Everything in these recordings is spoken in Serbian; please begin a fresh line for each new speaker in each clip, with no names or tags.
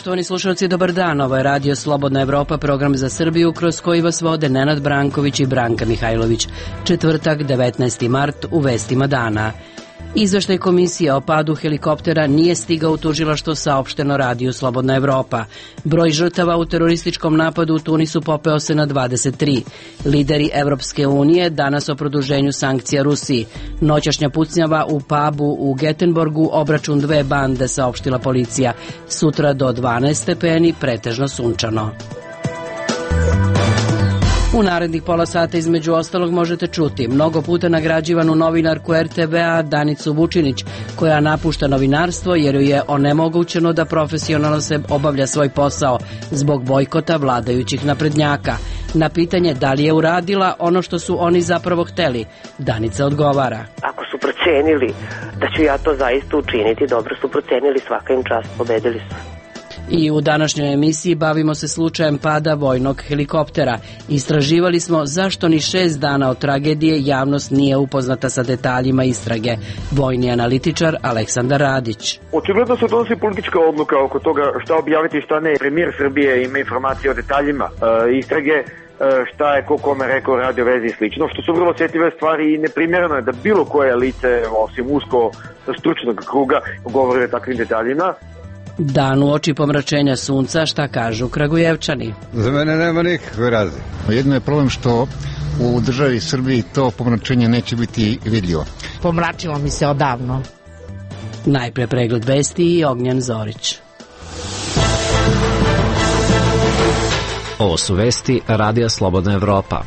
Poštovani slušalci, dobar dan. Ovo je Radio Slobodna Evropa, program za Srbiju kroz koji vas vode Nenad Branković i Branka Mihajlović. Četvrtak, 19. mart, u vestima dana. Izveštaj komisije o padu helikoptera nije stigao u tužilaštvo, saopšteno Radiju Slobodna Evropa. Broj žrtava u terorističkom napadu u Tunisu popeo se na 23. Lideri Evropske unije danas o produženju sankcija Rusiji. Noćašnja pucnjava u pubu u Getenborgu, obračun dve bande, saopštila policija. Sutra do 12 stepeni, pretežno sunčano. U narednih pola sata između ostalog možete čuti mnogo puta nagrađivanu novinarku RTV-a Danicu Vučinić, koja napušta novinarstvo jer joj je onemogućeno da profesionalno se obavlja svoj posao zbog bojkota vladajućih naprednjaka. Na pitanje da li je uradila ono što su oni zapravo hteli, Danica odgovara:
ako su procenili da ću ja to zaista učiniti, dobro su procenili, svaka im čast, pobedili su.
I u današnjoj emisiji bavimo se slučajem pada vojnog helikoptera. Istraživali smo zašto ni 6 dana od tragedije javnost nije upoznata sa detaljima istrage. Vojni analitičar Aleksandar Radić.
Očigledno se donosi politička odluka oko toga šta objaviti i šta ne. Premijer Srbije ima informacije o detaljima istrage, šta je ko kome rekao, radio vezi i slično, što su vrlo osjetljive stvari i neprimjereno je da bilo koje lice, osim usko stručnog kruga, govori o takvim detaljima.
Dan u oči pomračenja sunca, šta kažu Kragujevčani?
Za mene nema nikakve razlike. Jedno je problem što u državi Srbiji to pomračenje neće biti vidljivo.
Pomračilo mi se odavno.
Najpre pregled vesti i Ognjen Zorić.
Ovo su vesti Radija Slobodna Evropa.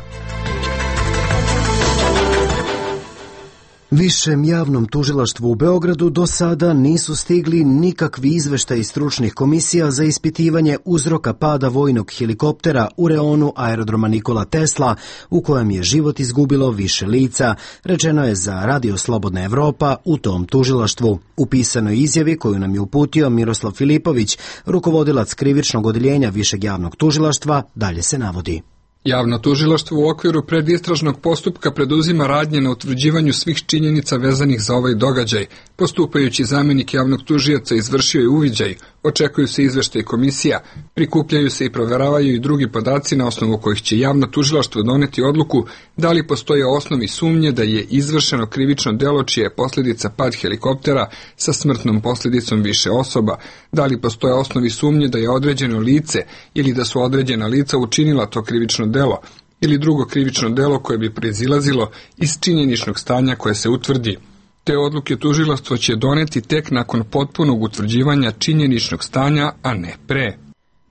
Višem javnom tužilaštvu u Beogradu do sada nisu stigli nikakvi izveštaji stručnih komisija za ispitivanje uzroka pada vojnog helikoptera u reonu aerodroma Nikola Tesla, u kojem je život izgubilo više lica, rečeno je za Radio Slobodna Evropa u tom tužilaštvu. U pisanoj izjavi koju nam je uputio Miroslav Filipović, rukovodilac krivičnog odeljenja Višeg javnog tužilaštva, dalje se navodi:
Javno tužilaštvo u okviru predistražnog postupka preduzima radnje na utvrđivanju svih činjenica vezanih za ovaj događaj. Postupajući zamenik javnog tužioca izvršio je uviđaj, očekuju se izveštaji komisija, prikupljaju se i proveravaju i drugi podaci na osnovu kojih će javno tužilaštvo doneti odluku da li postoje osnovi sumnje da je izvršeno krivično delo čija je posljedica pad helikoptera sa smrtnom posljedicom više osoba, da li postoje osnovi sumnje da je određeno lice ili da su određena lica učinila to krivično delo ili drugo krivično delo koje bi proizilazilo iz činjeničnog stanja koje se utvrdi. Te odluke tužilaštvo će doneti tek nakon potpunog utvrđivanja činjeničnog stanja, a ne pre.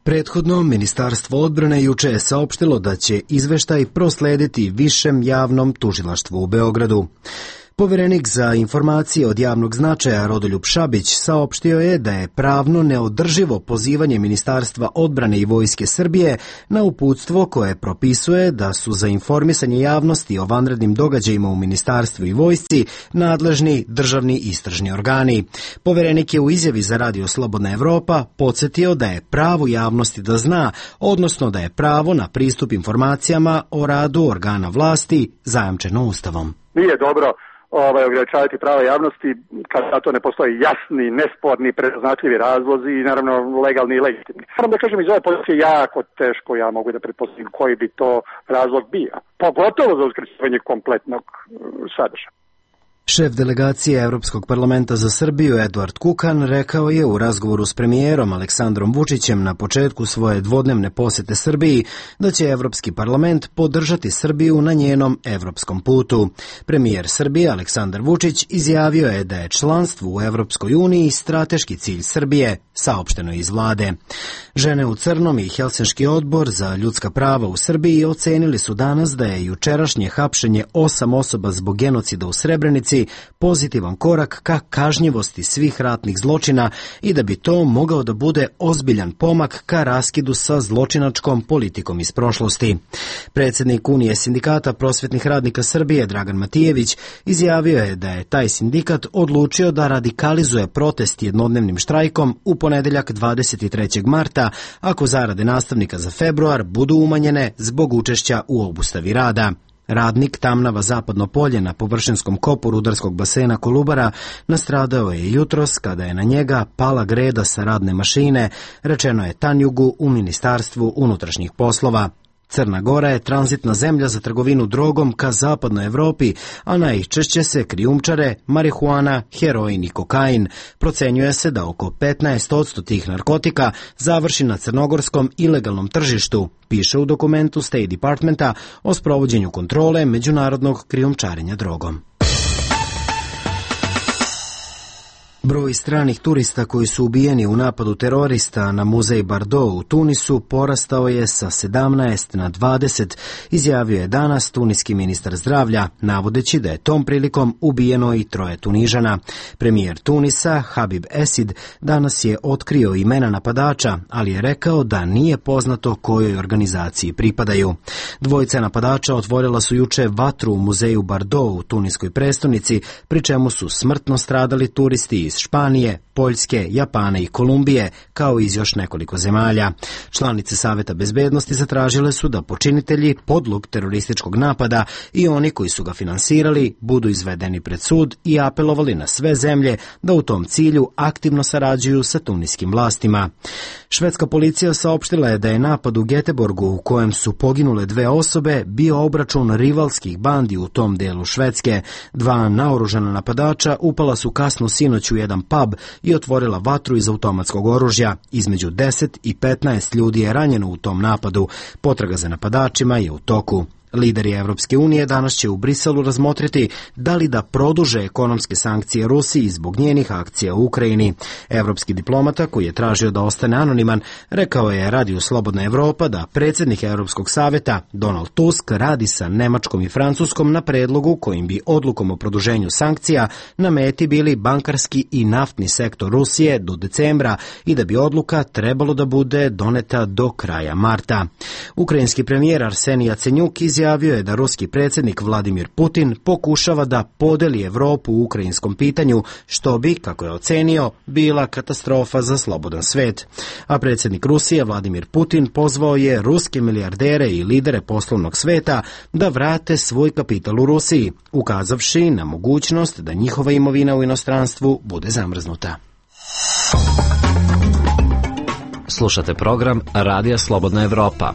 Prethodno, Ministarstvo odbrane juče je saopštilo da će izveštaj proslediti Višem javnom tužilaštvu u Beogradu. Poverenik za informacije od javnog značaja Rodoljub Šabić saopštio je da je pravno neodrživo pozivanje Ministarstva odbrane i Vojske Srbije na uputstvo koje propisuje da su za informisanje javnosti o vanrednim događajima u Ministarstvu i Vojsci nadležni državni istražni organi. Poverenik je u izjavi za Radio Slobodna Evropa podsjetio da je pravo javnosti da zna, odnosno da je pravo na pristup informacijama o radu organa vlasti zajamčeno Ustavom.
Nije dobro ograničavati prava javnosti kad za to ne postoji jasni, nesporni, prepoznatljivi razlozi i naravno legalni i legitimni. Moram da kažem, iz ove pozicije jako teško ja mogu da pretpostavim koji bi to razlog bio. Pogotovo za uskraćivanje kompletnog sadržaja.
Šef delegacije Evropskog parlamenta za Srbiju Eduard Kukan rekao je u razgovoru s premijerom Aleksandrom Vučićem na početku svoje dvodnevne posete Srbiji da će Evropski parlament podržati Srbiju na njenom evropskom putu. Premijer Srbije Aleksandar Vučić izjavio je da je članstvo u Evropskoj uniji strateški cilj Srbije, saopšteno iz vlade. Žene u crnom i Helsinški odbor za ljudska prava u Srbiji ocenili su danas da je jučerašnje hapšenje 8 osoba zbog genocida u Srebrenici pozitivan korak ka kažnjivosti svih ratnih zločina i da bi to mogao da bude ozbiljan pomak ka raskidu sa zločinačkom politikom iz prošlosti. Predsjednik Unije sindikata prosvetnih radnika Srbije Dragan Matijević izjavio je da je taj sindikat odlučio da radikalizuje protest jednodnevnim štrajkom u ponedeljak 23. marta ako zarade nastavnika za februar budu umanjene zbog učešća u obustavi rada. Radnik Tamnava Zapadno polje na površinskom kopu rudarskog basena Kolubara nastradao je jutros kada je na njega pala greda sa radne mašine, rečeno je Tanjugu u Ministarstvu unutrašnjih poslova. Crna Gora je tranzitna zemlja za trgovinu drogom ka zapadnoj Evropi, a najčešće se krijumčare marihuana, heroin i kokain. Procenjuje se da oko 15% tih narkotika završi na crnogorskom ilegalnom tržištu, piše u dokumentu State Departmenta o sprovođenju kontrole međunarodnog krijumčarenja drogom. Broj stranih turista koji su ubijeni u napadu terorista na muzej Bardo u Tunisu porastao je sa 17 na 20, izjavio je danas tuniski ministar zdravlja, navodeći da je tom prilikom ubijeno i 3 Tunižana. Premijer Tunisa, Habib Esid, danas je otkrio imena napadača, ali je rekao da nije poznato kojoj organizaciji pripadaju. 2 napadača otvorila su juče vatru u muzeju Bardo u tuniskoj prestonici, pri čemu su smrtno stradali turisti iz Španije, Poljske, Japana i Kolumbije, kao i iz još nekoliko zemalja. Članice Saveta bezbednosti zatražile su da počinitelji podlog terorističkog napada i oni koji su ga finansirali budu izvedeni pred sud i apelovali na sve zemlje da u tom cilju aktivno sarađuju sa tuniskim vlastima. Švedska policija saopštila je da je napad u Göteborgu, u kojem su poginule 2 osobe, bio obračun rivalskih bandi u tom delu Švedske. 2 naoružana napadača upala su kasno sinoć u jedan pub i otvorila vatru iz automatskog oružja. Između 10 i 15 ljudi je ranjeno u tom napadu. Potraga za napadačima je u toku. Lideri Evropske unije danas će u Briselu razmotriti da li da produže ekonomske sankcije Rusiji zbog njenih akcija u Ukrajini. Evropski diplomata, koji je tražio da ostane anoniman, rekao je Radiju Slobodna Evropa da predsjednik Evropskog saveta Donald Tusk radi sa Nemačkom i Francuskom na predlogu kojim bi odlukom o produženju sankcija na meti bili bankarski i naftni sektor Rusije do decembra i da bi odluka trebalo da bude doneta do kraja marta. Ukrajinski premijer Arsenij Jacenjuk izjavio je da ruski predsjednik Vladimir Putin pokušava da podeli Evropu u ukrajinskom pitanju, što bi, kako je ocenio, bila katastrofa za slobodan svet. A predsjednik Rusije Vladimir Putin pozvao je ruske milijardere i lidere poslovnog sveta da vrate svoj kapital u Rusiji, ukazavši na mogućnost da njihova imovina u inostranstvu bude zamrznuta.
Slušate program Radija Slobodna Evropa.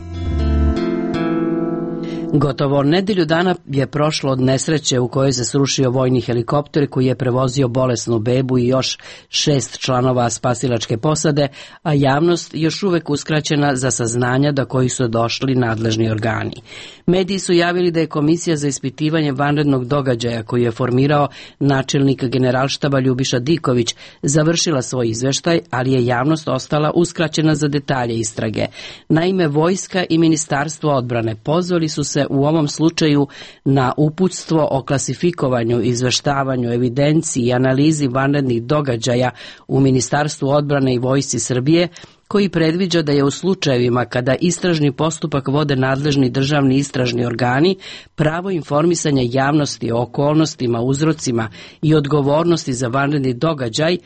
Gotovo nedelju dana je prošlo od nesreće u kojoj se srušio vojni helikopter koji je prevozio bolesnu bebu i još 6 članova spasilačke posade, a javnost još uvek uskraćena za saznanja do kojih su došli nadležni organi. Mediji su javili da je Komisija za ispitivanje vanrednog događaja koju je formirao načelnik Generalštaba Ljubiša Diković završila svoj izveštaj, ali je javnost ostala uskraćena za detalje istrage. Naime, vojska i Ministarstvo odbrane pozvali su se u ovom slučaju na uputstvo o klasifikovanju, izveštavanju, evidenciji i analizi vanrednih događaja u Ministarstvu odbrane i Vojsci Srbije, koji predviđa da je u slučajevima kada istražni postupak vode nadležni državni istražni organi, pravo informisanja javnosti o okolnostima, uzrocima i odgovornosti za vanredni događaj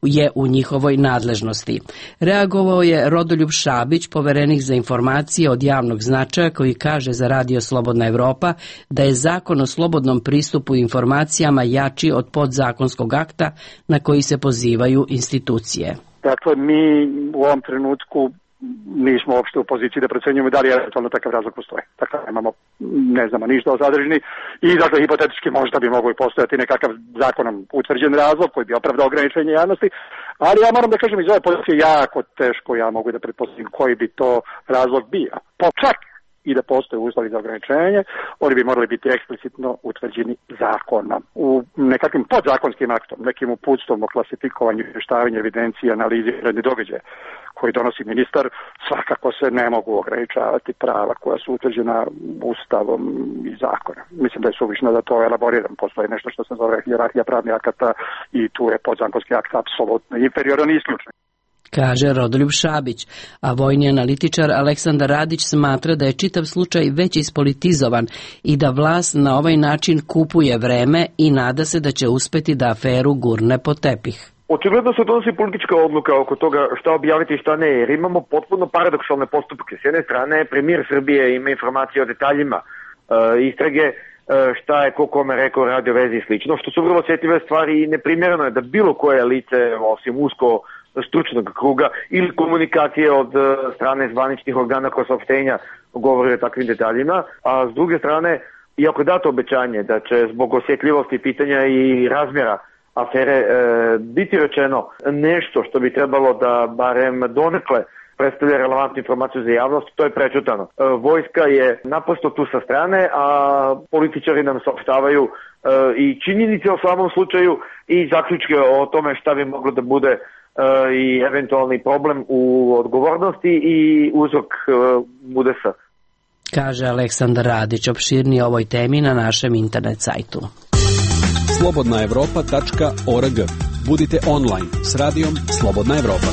je u njihovoj nadležnosti. Reagovao je Rodoljub Šabić, poverenik za informacije od javnog značaja, koji kaže za Radio Slobodna Evropa da je zakon o slobodnom pristupu informacijama jači od podzakonskog akta na koji se pozivaju institucije.
Dakle, mi u ovom trenutku nismo uopšte u poziciji da procenjujemo da li eventualno takav razlog postoji. Dakle, ne znamo ništa o sadržini i dakle, hipotetički možda bi mogao i postojati nekakav zakonom utvrđen razlog koji bi opravdao ograničenje javnosti, ali ja moram da kažem iz ove pozicije jako teško ja mogu da pretpostavim koji bi to razlog bio. Čak i da postoje uslovi za ograničenje, oni bi morali biti eksplicitno utvrđeni zakonom. U nekakvim podzakonskim aktom, nekim uputstvom o klasifikovanju, izvještavanju, evidenciji, analizi vanrednih događaja koji donosi ministar, svakako se ne mogu ograničavati prava koja su utvrđena Ustavom i zakonom. Mislim da je suvišno da to elaboriram. Postoji nešto što se zove hijerarhija pravnih akata i tu je podzakonski akt apsolutno inferioran i isključen,
kaže Rodoljub Šabić, a vojni analitičar Aleksandar Radić smatra da je čitav slučaj već ispolitizovan i da vlast na ovaj način kupuje vreme i nada se da će uspeti da aferu gurne pod tepih.
Očigledno se donosi politička odluka oko toga šta objaviti i šta ne, jer imamo potpuno paradoksalne postupke. S jedne strane, premijer Srbije ima informacije o detaljima istrage, šta je ko kome rekao radio vezi i slično, što su vrlo osjetljive stvari i neprimjereno je da bilo koje lice, osim usko stručnog kruga ili komunikacije od strane zvaničnih organa koja saopštenja govori o takvim detaljima, a s druge strane, iako je dato obećanje da će zbog osjetljivosti pitanja i razmjera afere biti rečeno nešto što bi trebalo da barem donekle predstavlja relevantnu informaciju za javnost, to je prečutano. Vojska je naprosto tu sa strane, a političari nam saopštavaju i činjenice o samom slučaju i zaključke o tome šta bi moglo da bude i eventualni problem u odgovornosti i uzrok udesa.
Kaže Aleksandar Radić, opširnije o ovoj temi na našem internet sajtu.
slobodnaevropa.org. Budite online s radijom Slobodna Evropa.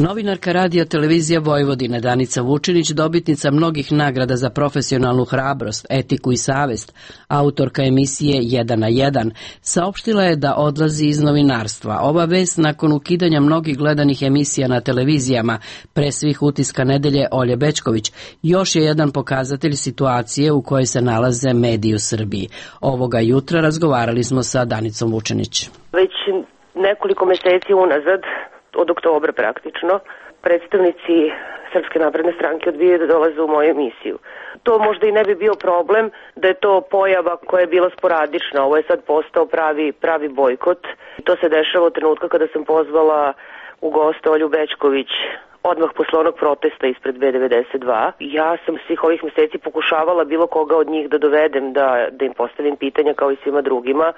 Novinarka Radio televizija Vojvodine Danica Vučinić, dobitnica mnogih nagrada za profesionalnu hrabrost, etiku i savest, autorka emisije 1 na 1, saopštila je da odlazi iz novinarstva. Ova vest nakon ukidanja mnogih gledanih emisija na televizijama, pre svih Utiska nedelje Olje Bećković, još je jedan pokazatelj situacije u kojoj se nalaze mediji u Srbiji. Ovoga jutra razgovarali smo sa Danicom Vučinić.
Već nekoliko meseci unazad, od oktobra praktično, predstavnici Srpske napredne stranke odbijaju da dolaze u moju emisiju. To možda i ne bi bio problem da je to pojava koja je bila sporadična. Ovo je sad postao pravi bojkot. To se dešava od trenutka kada sam pozvala u goste Olju Bećković odmah posle onog protesta ispred B92. Ja sam svih ovih meseci pokušavala bilo koga od njih da dovedem, da im postavim pitanja kao i svima drugima.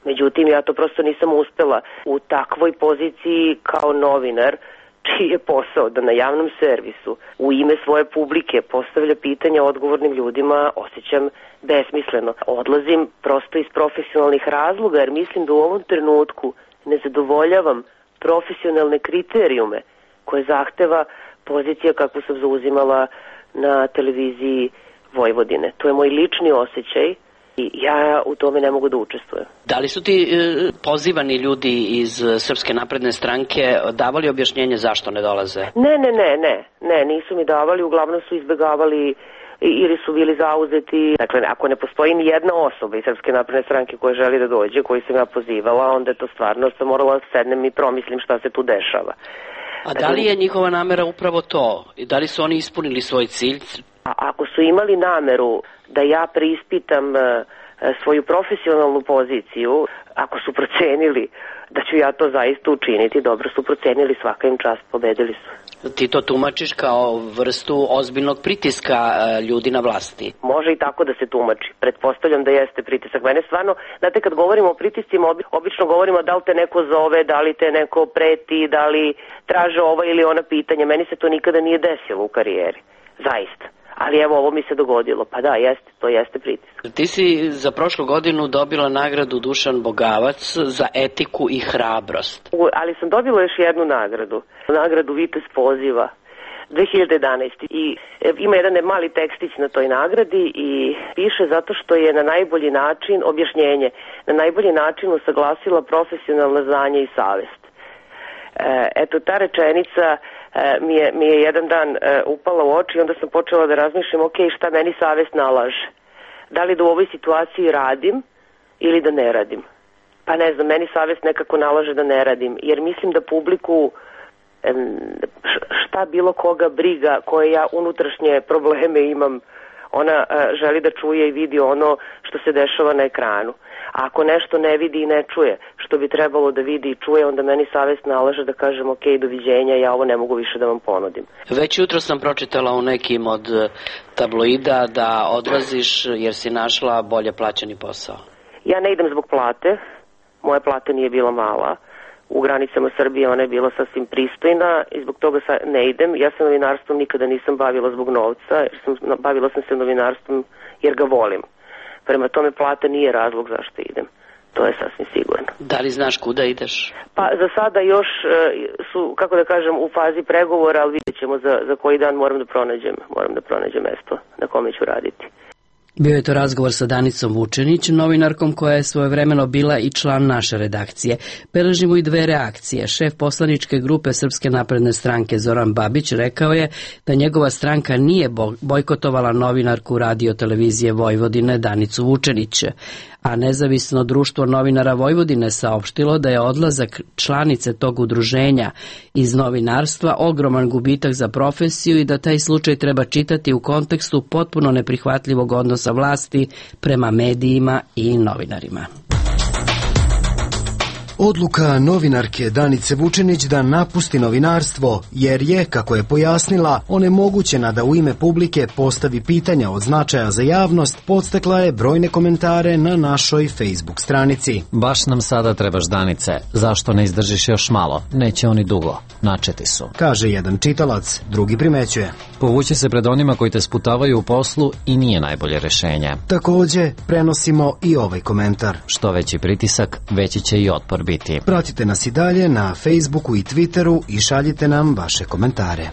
Međutim, ja to prosto nisam uspela u takvoj poziciji kao novinar, čiji je posao da na javnom servisu u ime svoje publike postavlja pitanja odgovornim ljudima, osjećam besmisleno. Odlazim prosto iz profesionalnih razloga, jer mislim da u ovom trenutku ne zadovoljavam profesionalne kriterijume koje zahteva pozicija kakvu sam zauzimala na televiziji Vojvodine. To je moj lični osjećaj i ja u tome ne mogu da učestvujem.
Da li su ti pozivani ljudi iz Srpske napredne stranke davali objašnjenje zašto ne dolaze?
Ne, nisu mi davali, uglavnom su izbegavali ili su bili zauzeti. Dakle, ako ne postoji ni jedna osoba iz Srpske napredne stranke koja želi da dođe, koju sam ja pozivala, onda je to stvarno sam morala da sednem i promislim šta se tu dešava.
A da li je njihova namera upravo to? Da li su oni ispunili svoj cilj?
Ako su imali nameru da ja preispitam svoju profesionalnu poziciju, ako su procenili da ću ja to zaista učiniti, dobro su procenili, svaka im čast, pobedili su.
Ti to tumačiš kao vrstu ozbiljnog pritiska ljudi na vlasti?
Može i tako da se tumači. Pretpostavljam da jeste pritisak. Mene stvarno, znate, kad govorimo o pritiscima, obično govorimo da li te neko zove, da li te neko preti, da li traže ova ili ona pitanja. Meni se to nikada nije desilo u karijeri. Zaista. Ali evo, ovo mi se dogodilo. Pa da, jeste, to jeste pritisak.
Ti si za prošlu godinu dobila nagradu Dušan Bogavac za etiku i hrabrost.
Ali sam dobila još jednu nagradu. Nagradu Vitez poziva 2011. I ima jedan mali tekstić na toj nagradi i piše zato što je na najbolji način, objašnjenje, na najbolji način usaglasila profesionalna znanja i savest. Eto, ta rečenica mi je jedan dan upala u oči i onda sam počela da razmišljam, ok, šta meni savest nalaže? Da li da u ovoj situaciji radim ili da ne radim? Pa ne znam, meni savest nekako nalaže da ne radim, jer mislim da publiku šta bilo koga briga, koje ja unutrašnje probleme imam, ona želi da čuje i vidi ono što se dešava na ekranu. A ako nešto ne vidi i ne čuje što bi trebalo da vidi i čuje, onda meni savest nalaže da kažem ok, doviđenja, ja ovo ne mogu više da vam ponudim.
Već jutro sam pročitala u nekim od tabloida da odlaziš jer si našla bolje plaćeni posao.
Ja ne idem zbog plate, moja plata nije bila mala. U granicama Srbije ona je bila sasvim pristojna i zbog toga ne idem. Ja se novinarstvom nikada nisam bavila zbog novca, bavila sam se novinarstvom jer ga volim. Prema tome plata nije razlog zašto idem. To je sasvim sigurno.
Da li znaš kuda ideš?
Pa za sada još su, kako da kažem, u fazi pregovora, ali vidjet ćemo za koji dan moram da pronađem mesto na kome ću raditi.
Bio je to razgovor sa Danicom Vučenić, novinarkom koja je svojevremeno bila i član naše redakcije. Beležimo i dve reakcije. Šef poslaničke grupe Srpske napredne stranke Zoran Babić rekao je da njegova stranka nije bojkotovala novinarku Radio televizije Vojvodine Danicu Vučenić, a nezavisno društvo novinara Vojvodine saopštilo da je odlazak članice tog udruženja iz novinarstva ogroman gubitak za profesiju i da taj slučaj treba čitati u kontekstu potpuno neprihvatljivog odnosa vlasti prema medijima i novinarima.
Odluka novinarke Danice Vučenić da napusti novinarstvo, jer je, kako je pojasnila, onemogućena da u ime publike postavi pitanja od značaja za javnost, podstakla je brojne komentare na našoj Facebook stranici.
Baš nam sada trebaš, Danice, zašto ne izdržiš još malo? Neće oni dugo, načeti su.
Kaže jedan čitalac, drugi primećuje.
Povući se pred onima koji te sputavaju u poslu i nije najbolje rešenje.
Takođe, prenosimo i ovaj komentar.
Što veći pritisak, veći će i otpor biti.
Pratite nas i dalje na Facebooku i Twitteru i šaljite nam vaše komentare.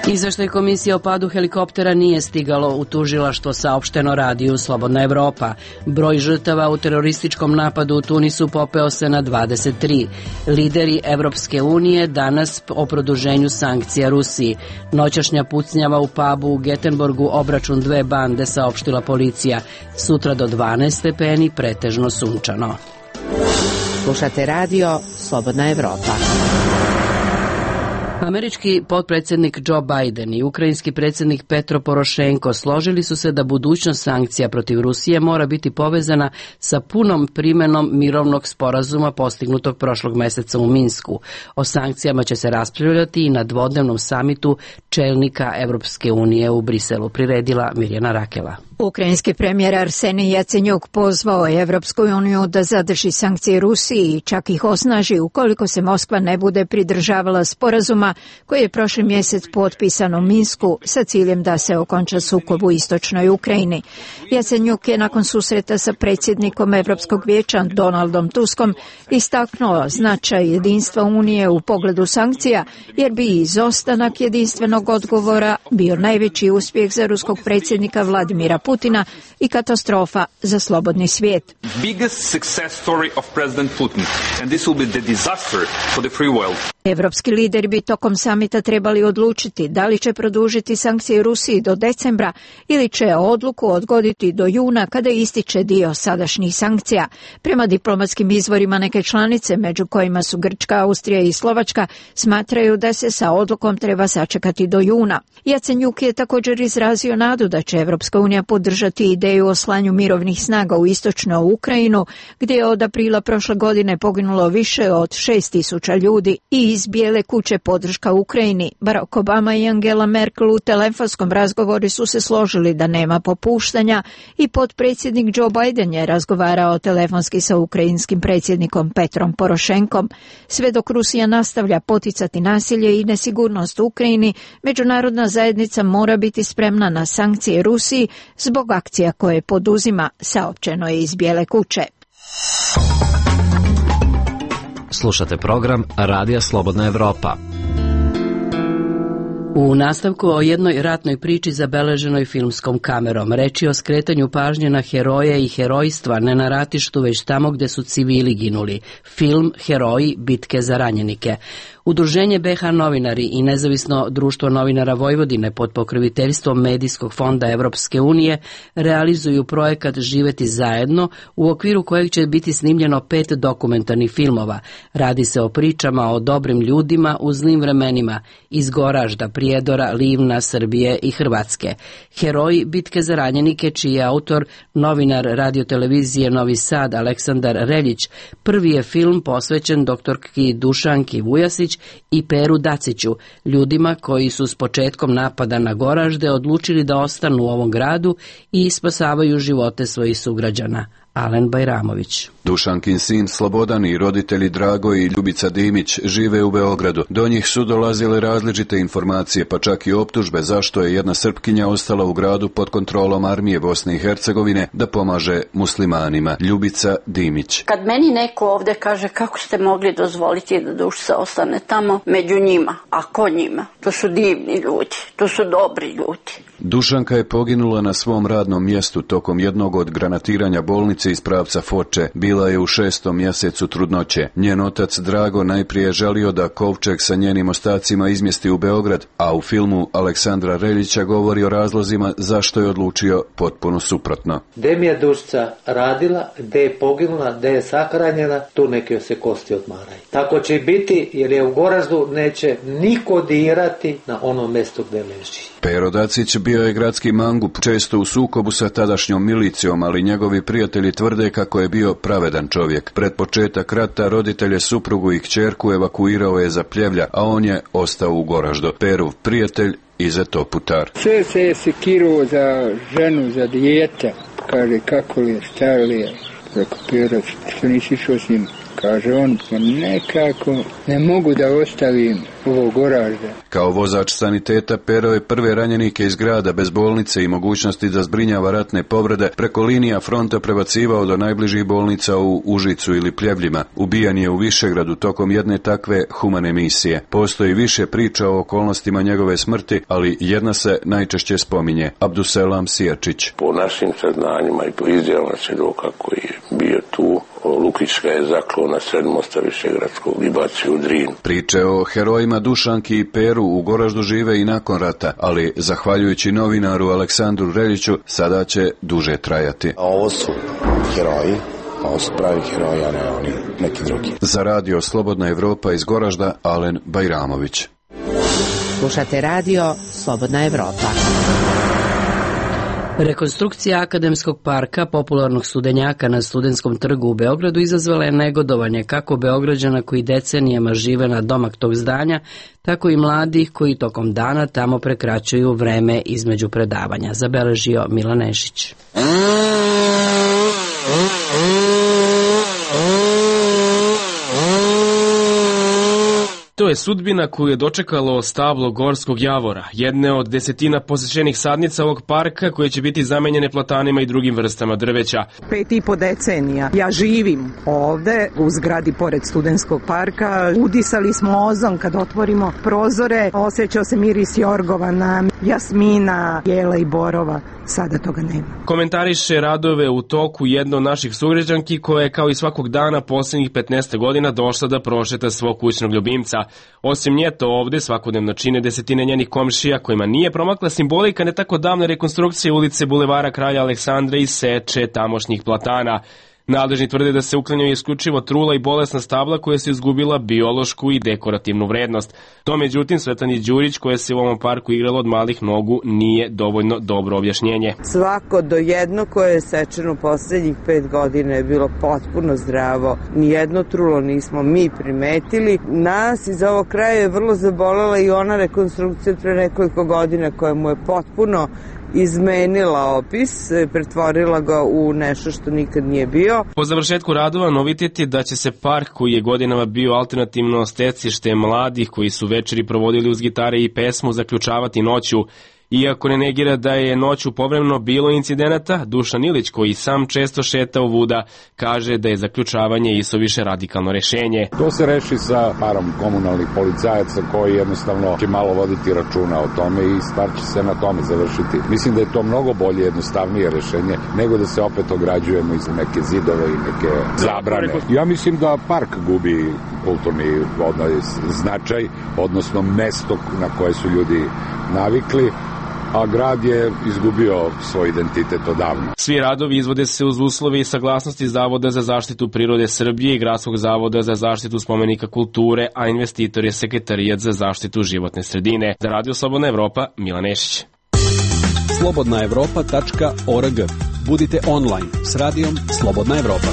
Izveštaj komisije o padu helikoptera nije stigalo u tužilaštvo, saopšteno radiju Slobodna Evropa. Broj žrtava u terorističkom napadu u Tunisu popeo se na 23. Lideri Evropske unije danas o produženju sankcija Rusiji. Noćašnja pucnjava u pubu u Getenborgu, obračun dve bande, saopštila policija. Sutra do 12 stepeni, pretežno sunčano.
Slušate radio Slobodna Evropa.
Američki potpredsjednik Joe Biden i ukrajinski predsjednik Petro Porošenko složili su se da budućnost sankcija protiv Rusije mora biti povezana sa punom primenom mirovnog sporazuma postignutog prošlog meseca u Minsku. O sankcijama će se raspravljati i na dvodnevnom samitu čelnika Evropske unije u Briselu, priredila Mirjana Rakela.
Ukrajinski premijer Arsenij Jacenjuk pozvao je Evropsku uniju da zadrži sankcije Rusiji i čak ih osnaži ukoliko se Moskva ne bude pridržavala sporazuma koji je prošli mjesec potpisan u Minsku sa ciljem da se okonča sukob u istočnoj Ukrajini. Jacenjuk je nakon susreta sa predsjednikom Evropskog vijeća Donaldom Tuskom istaknuo značaj jedinstva Unije u pogledu sankcija, jer bi izostanak jedinstvenog odgovora bio najveći uspjeh za ruskog predsjednika Vladimira Putina i katastrofa za slobodni svijet. Evropski lideri bi tokom samita trebali odlučiti da li će produžiti sankcije Rusiji do decembra ili će odluku odgoditi do juna kada ističe dio sadašnjih sankcija. Prema diplomatskim izvorima neke članice, među kojima su Grčka, Austrija i Slovačka, smatraju da se sa odlukom treba sačekati do juna. Jacenjuk je također izrazio nadu da će Evropska unija podržati ideju o slanju mirovnih snaga u istočnu Ukrajinu, gdje je od aprila prošle godine poginulo više od 6.000 ljudi. I iz Bijele kuće podrška Ukrajini. Barack Obama i Angela Merkel u telefonskom razgovoru su se složili da nema popuštanja i potpredsjednik Joe Biden je razgovarao telefonski sa ukrajinskim predsjednikom Petrom Porošenkom. Sve dok Rusija nastavlja poticati nasilje i nesigurnost u Ukrajini, međunarodna zajednica mora biti spremna na sankcije Rusiji zbog akcija koje poduzima, saopćeno je iz Bijele kuće.
Slušate program Radija Slobodna Evropa.
U nastavku o jednoj ratnoj priči zabeleženoj filmskom kamerom. Reč je o skretanju pažnje na heroje i herojstva, ne na ratištu, već tamo gde su civili ginuli. Film Heroji, bitke za ranjenike. Udruženje BH novinari i nezavisno društvo novinara Vojvodine pod pokroviteljstvom Medijskog fonda Evropske unije realizuju projekat Živeti zajedno, u okviru kojeg će biti snimljeno 5 dokumentarnih filmova. Radi se o pričama o dobrim ljudima u zlim vremenima iz Goražda, Prijedora, Livna, Srbije i Hrvatske. Heroji, bitke za ranjenike, čiji je autor novinar radiotelevizije Novi Sad Aleksandar Reljić, prvi je film posvećen doktorki Dušanki Vujasić i Peru Daciću, ljudima koji su s početkom napada na Goražde odlučili da ostanu u ovom gradu i spasavaju živote svojih sugrađana. Alen Bajramović.
Dušankin sin Slobodan i roditelji Drago i Ljubica Dimić žive u Beogradu. Do njih su dolazile različite informacije, pa čak i optužbe zašto je jedna Srpkinja ostala u gradu pod kontrolom armije Bosne i Hercegovine da pomaže muslimanima. Ljubica Dimić.
Kad meni neko ovde kaže kako ste mogli dozvoliti da Dušica ostane tamo među njima, a ko njima? To su divni ljudi, to su dobri ljudi.
Dušanka je poginula na svom radnom mjestu tokom jednog od granatiranja bolnice iz pravca Foče. Bila je u 6. mjesecu trudnoće. Njen otac Drago najprije želio da kovčeg sa njenim ostacima izmjesti u Beograd, a u filmu Aleksandra Reljića govori o razlozima zašto je odlučio potpuno suprotno.
Gde mi je Dušica radila, gde je poginula, gde je sahranjena, tu neke se kosti odmaraju. Tako će biti, jer je u Goraždu neće niko dirati na ono mjesto gde leži.
Pero Dacić bio je gradski mangup, često u sukobu sa tadašnjom milicijom, ali njegovi prijatelji tvrde kako je bio pravedan čovjek. Pred početak rata roditelje, suprugu i kćerku evakuirao je za Pljevlja, a on je ostao u Goraždu. Perov prijatelj Izeto Putar.
Sve se je sekiruo za ženu, za dijete. Kaže kako li je, šta li je. Rekao Pero, što nisi išao s njim? Kaže on, pa nekako ne mogu da ostavim ovo Goražda.
Kao vozač saniteta Pero je prve ranjenike iz grada bez bolnice i mogućnosti da zbrinjava ratne povrede preko linija fronta prebacivao do najbližih bolnica u Užicu ili Pljevljima. Ubijan je u Višegradu tokom jedne takve humane misije. Postoji više priča o okolnostima njegove smrti, ali jedna se najčešće spominje. Abduselam Sijačić.
Po našim saznanjima i po izjavama svjedoka koji je bio tu, Lukić ga je zaklao na sred mosta Višegradskog i bacio u Drin.
Priče o herojima Dušanki i Peru u Goraždu žive i nakon rata, ali zahvaljujući novinaru Aleksandru Reljiću sada će duže trajati.
Ovo su heroji, ovo su pravi heroji, a ne oni neki drugi.
Za radio Slobodna Evropa iz Goražda, Alen Bajramović.
Slušate radio Slobodna Evropa.
Rekonstrukcija Akademskog parka, popularnog studenjaka na Studentskom trgu u Beogradu, izazvala je negodovanje kako Beograđana koji decenijama žive na domak tog zdanja, tako i mladih koji tokom dana tamo prekraćuju vreme između predavanja, zabeležio Milan Nešić.
To je sudbina koju je dočekalo stablo Gorskog javora, jedne od desetina posjećenih sadnica ovog parka koje će biti zamenjene platanima i drugim vrstama drveća.
5,5 decenija ja živim ovde u zgradi pored Studentskog parka. Udisali smo ozon kad otvorimo prozore, osjećao se miris jorgovana, jasmina, jela i borova. Sada toga nema.
Komentariše radove u toku jedna od naših sugrađanki koja je kao i svakog dana posljednjih 15 godina došla da prošeta svog kućnog ljubimca. Osim nje to ovde svakodnevno čine desetine njenih komšija kojima nije promakla simbolika ne tako davne rekonstrukcije ulice Bulevara Kralja Aleksandra i seče tamošnjih platana. Nadležni tvrde da se uklanjaju isključivo trula i bolesna stabla koja su izgubila biološku i dekorativnu vrednost. To međutim Svetlani Đurić koja se u ovom parku igrala od malih nogu nije dovoljno dobro objašnjenje.
Svako do jedno koje je sečeno posljednjih 5 godina je bilo potpuno zdravo. Nijedno trulo nismo mi primetili. Nas iz ovog kraja je vrlo zabolela i ona rekonstrukcija pre nekoliko godina koja mu je potpuno izmenila opis, pretvorila ga u nešto što nikad nije bio.
Po završetku radova novitet je da će se park koji je godinama bio alternativno stecište mladih koji su večeri provodili uz gitare i pesmu zaključavati noću. Iako ne negira da je noću povremeno bilo incidenata, Dušan Ilić, koji sam često šetao vuda, kaže da je zaključavanje isuviše radikalno rešenje.
To se reši sa parom komunalnih policajaca koji jednostavno će malo voditi računa o tome i stvar će se na tome završiti. Mislim da je to mnogo bolje, jednostavnije rešenje nego da se opet ograđujemo iz neke zidove i neke zabrane. Ja mislim da park gubi kulturni značaj, odnosno mesto na koje su ljudi navikli, a grad je izgubio svoj identitet odavno.
Svi radovi izvode se uz uslove i saglasnosti Zavoda za zaštitu prirode Srbije i Gradskog zavoda za zaštitu spomenika kulture, a investitor je Sekretarijat za zaštitu životne sredine. Za Radio Slobodna Evropa, Milan Nešić.
slobodnaevropa.org. Budite online s radijom Slobodna Evropa.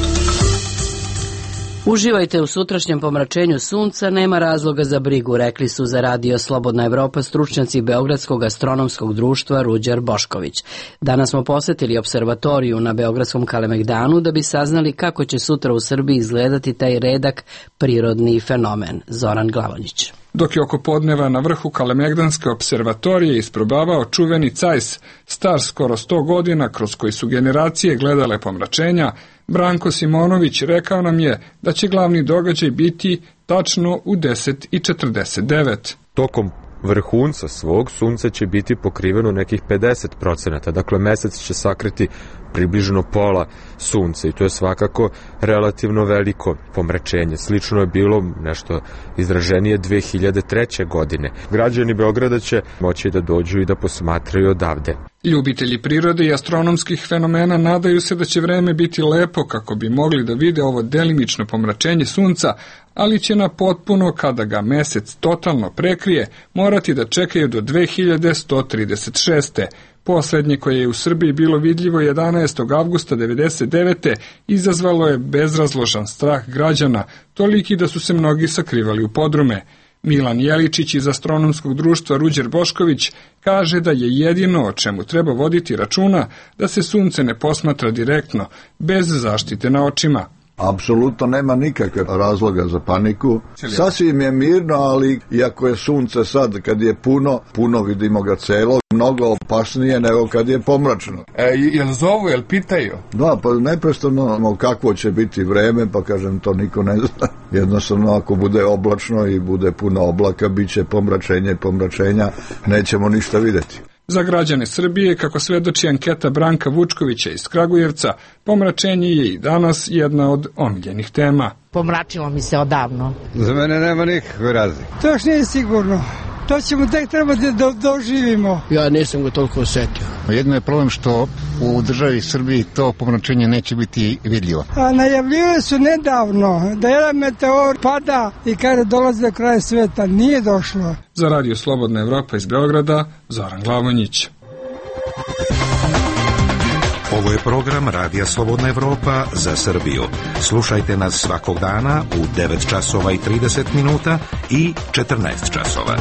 Uživajte u sutrašnjem pomračenju sunca, nema razloga za brigu, rekli su za Radio Slobodna Evropa stručnjaci Beogradskog astronomskog društva Ruđer Bošković. Danas smo posetili observatoriju na Beogradskom Kalemegdanu da bi saznali kako će sutra u Srbiji izgledati taj redak prirodni fenomen. Zoran Glavonjić.
Dok je oko podneva na vrhu Kalemegdanske observatorije isprobavao čuveni cajs, star skoro 100 godina, kroz koji su generacije gledale pomračenja, Branko Simonović rekao nam je da će glavni događaj biti tačno u 10:49.
Tokom vrhunca svog sunce će biti pokriveno nekih 50%, dakle mesec će sakriti približno pola sunca i to je svakako relativno veliko pomračenje. Slično je bilo nešto izraženije 2003. godine. Građani Beograda će moći da dođu i da posmatraju odavde.
Ljubitelji prirode i astronomskih fenomena nadaju se da će vreme biti lepo kako bi mogli da vide ovo delimično pomračenje sunca, ali će na potpuno, kada ga mesec totalno prekrije, morati da čekaju do 2136. Poslednje koje je u Srbiji bilo vidljivo 11. avgusta 1999. izazvalo je bezrazložan strah građana, toliki da su se mnogi sakrivali u podrume. Milan Jeličić iz astronomskog društva Ruđer Bošković kaže da je jedino o čemu treba voditi računa da se sunce ne posmatra direktno, bez zaštite na očima.
Apsolutno nema nikakve razloga za paniku. Sasvim je mirno, ali iako je sunce sad, kad je puno vidimo ga celo, mnogo opasnije nego kad je pomračno.
Jel zovu, jel pitaju?
Da, pa neprestano kakvo će biti vreme, pa kažem, to niko ne zna. Jednostavno, ako bude oblačno i bude puno oblaka, bit će pomračenja, nećemo ništa videti.
Za građane Srbije, kako svedoči anketa Branka Vučkovića iz Kragujevca, pomračenje je i danas jedna od omiljenih tema.
Pomračilo mi se odavno.
Za mene nema nikakve razlike.
To još nije sigurno. To ćemo tek trebati da doživimo.
Ja nisam ga toliko osetio.
Jedno je problem što u državi Srbiji to pomračenje neće biti vidljivo.
A najavljivali su nedavno da jedan meteor pada i kada dolazi do kraja sveta. Nije došlo.
Za Radio Slobodna Evropa iz Beograda, Zoran Glavonjić.
Ovo je program Radija Slobodna Evropa za Srbiju. Slušajte nas svakog dana u 9 časova i 30 minuta i 14 časova.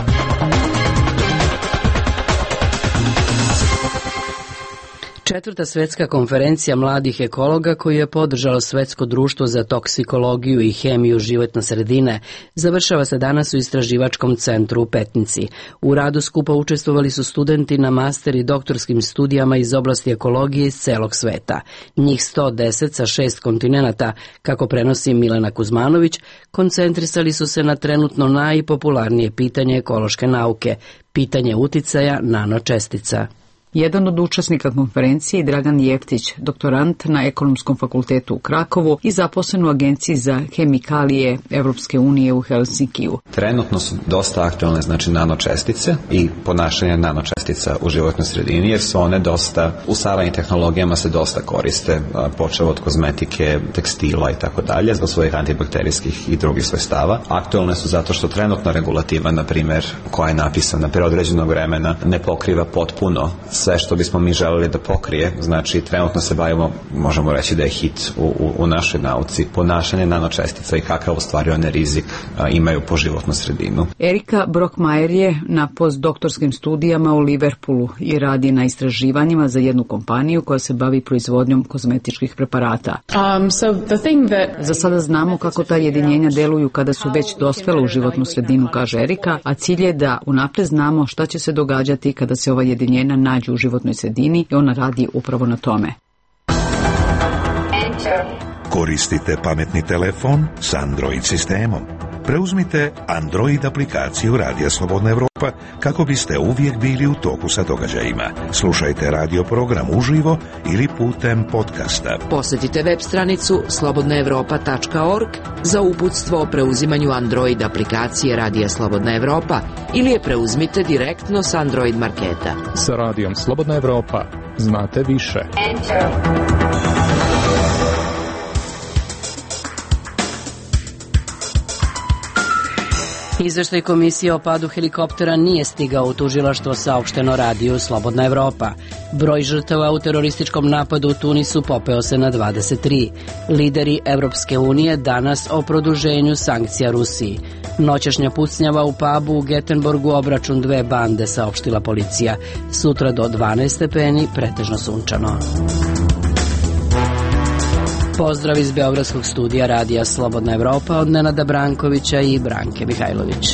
Četvrta svetska konferencija mladih ekologa koju je podržalo Svetsko društvo za toksikologiju i hemiju životne sredine završava se danas u istraživačkom centru u Petnici. U radu skupa učestvovali su studenti na master i doktorskim studijama iz oblasti ekologije iz celog sveta. Njih 110 sa 6 kontinenata, kako prenosi Milena Kuzmanović, koncentrisali su se na trenutno najpopularnije pitanje ekološke nauke, pitanje uticaja nanočestica.
Jedan od učesnika konferencije je Dragan Jeftić, doktorant na Ekonomskom fakultetu u Krakovu i zaposlen u Agenciji za hemikalije Evropske unije u Helsinkiju.
Trenutno su dosta aktualne nanočestice i ponašanje nanočestica u životnoj sredini, jer su one dosta, u savremenim tehnologijama se dosta koriste, počev od kozmetike, tekstila i tako dalje, zbog svojih antibakterijskih i drugih svojstava. Aktualne su zato što trenutna regulativa, na primjer, koja je napisana pre određenog vremena, ne pokriva potpuno sve što bismo mi želeli da pokrije. Znači, trenutno se bavimo, možemo reći da je hit u našoj nauci, ponašanje nanočestica i kakav u stvari one rizik imaju po životnu sredinu.
Erika Brockmajer je na postdoktorskim studijama u Liverpoolu i radi na istraživanjima za jednu kompaniju koja se bavi proizvodnjom kozmetičkih preparata. Za sada znamo kako ta jedinjenja deluju kada su već dospela u životnu sredinu, kaže Erika, a cilj je da unapred znamo šta će se događati kada se ova jedinjenja nađu u životnoj sredini i ona radi upravo na tome.
Koristite pametni telefon s Android sistemom. Preuzmite Android aplikaciju Radija Slobodna Evropa kako biste uvijek bili u toku sa događajima. Slušajte radio program uživo ili putem podcasta.
Posjetite web stranicu slobodnaevropa.org za uputstvo o preuzimanju Android aplikacije Radija Slobodna Evropa ili je preuzmite direktno s Android marketa.
Sa Radijom Slobodna Evropa znate više.
Izveštaj komisije o padu helikoptera nije stigao u tužilaštvo, saopšteno radiju Slobodna Evropa. Broj žrtava u terorističkom napadu u Tunisu popeo se na 23. Lideri Evropske unije danas o produženju sankcija Rusiji. Noćašnja pucnjava u pubu u Getenborgu, obračun dve bande, saopštila policija. Sutra do 12 stepeni, pretežno sunčano. Pozdrav iz Beogradskog studija radija Slobodna Evropa od Nenada Brankovića i Branke Mihajlović.